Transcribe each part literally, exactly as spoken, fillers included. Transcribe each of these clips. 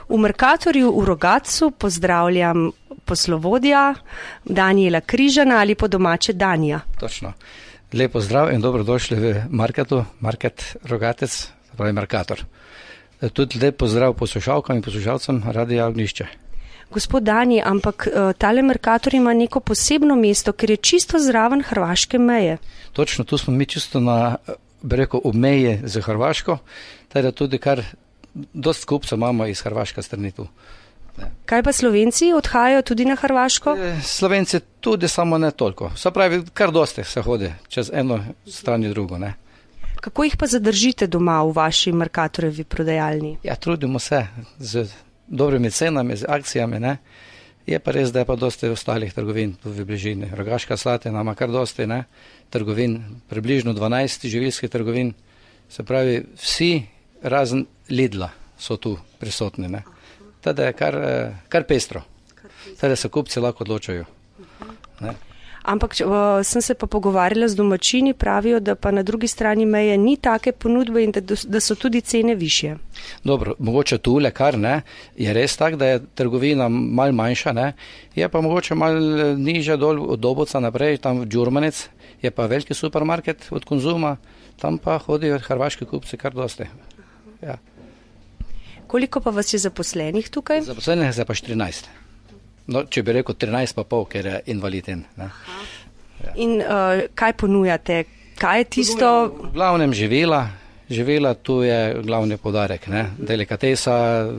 V Mercatorju v Rogatcu pozdravljam poslovodja Danijela Križana ali po domače Danija. Točno. Lepo zdrav in dobrodošli v Marketu, Market Rogatec, pravi Mercator. Tudi lep pozdrav poslušalkam in poslušalcem Radia Ognjišče. Gospod Dani, ampak tale Mercator ima neko posebno mesto, ker je čisto zraven hrvaške meje. Točno, tu smo mi čisto na, bi rekel, ob meji z Hrvaško, teda tudi kar dost kupcev imamo iz Hrvaške strani tu. Ne. Kaj pa Slovenci odhajajo tudi na Hrvaško? Slovenci tudi, samo ne toliko. Se pravi, kar dosti se hodi čez eno stran in drugo, ne. Kako jih pa zadržite doma v vaši Mercatorjevi prodajalni? Ja, trudimo se z dobrimi cenami, z akcijami, ne. Je pa res, da je pa dosti ostalih trgovin tu v bližini. Rogaška Slatina ima kar dosti, ne, trgovin, približno dvanajst živilskih trgovin. Se pravi, vsi razen Lidla so tu prisotni, ne. Teda je kar, kar pestro. Teda se kupci lahko odločajo. Ne. Ampak uh, sem se pa pogovarjala z domačini, pravijo, da pa na drugi strani meje ni take ponudbe in da, da so tudi cene višje. Dobro, mogoče tule kar, ne, je res tak, da je trgovina mal manjša, ne, je pa mogoče mal niže dol od Dobovca naprej, tam v Đurmanec, je pa veliki supermarket od Konzuma, tam pa hodijo hrvaški kupci kar dosti. Ja. Koliko pa vas je zaposlenih tukaj? Zaposlenih je pa štirinajst. No, če bi rekel trinajst pa pol, ker je invaliden. Ja. In uh, kaj ponujate? Kaj je tisto? V glavnem živela, živela tu je glavni podarek, ne. Delikatesa,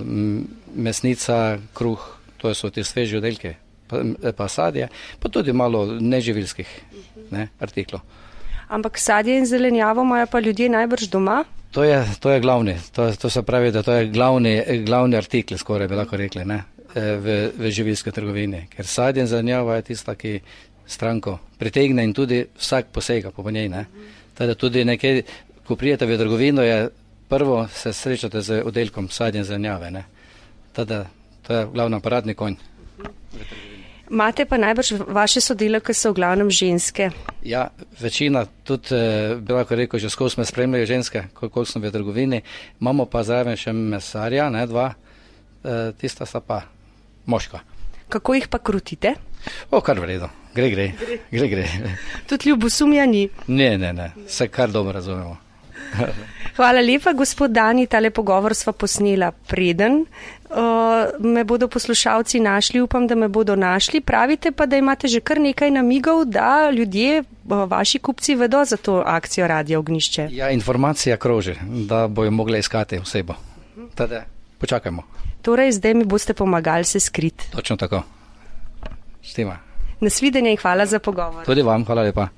mesnica, kruh, to so ti sveži oddelki, pa, pa sadje, pa tudi malo neživilskih, ne, artiklov. Ampak sadje in zelenjavo imajo pa ljudje najbrž doma? To je, to je glavni, to, to se pravi, da to je glavni, glavni artikl, skoraj bi lahko rekli, ne. V, v živilske trgovine, ker sadje in zelenjava je tista, ki stranko pritegne in tudi vsak posega po njej, ne. Teda tudi nekaj, ko prijete v trgovino, je prvo se srečate z oddelkom sadje in zelenjave, ne. Teda to je glavno paradni konj. Imate pa najbrž vaše sodelavke so v glavnem ženske. Ja, večina, tudi bi lahko rekel, že skozi me spremljajo ženske, koliko smo v trgovini, imamo pa zraven še mesarja, ne, dva, tista sta pa moška. Kako jih pa krutite? O, kar v redu. Gre, gre. Gre, gre. Tudi ljubosumja ni? Ne, ne, ne. Se kar dobro razumemo. Hvala lepa, gospod Dani. Tale pogovor sva posnela preden. Uh, me bodo poslušalci našli, upam, da me bodo našli. Pravite pa, da imate že kar nekaj namigov, da ljudje, uh, vaši kupci vedo za to akcijo Radia Ognjišče. Ja, informacija kroži, da bojo mogli iskati osebo. Tada počakajmo. Torej, zdaj mi boste pomagali se skriti. Točno tako. Štima. Nasvidenje in hvala za pogovor. Tudi vam, hvala lepa.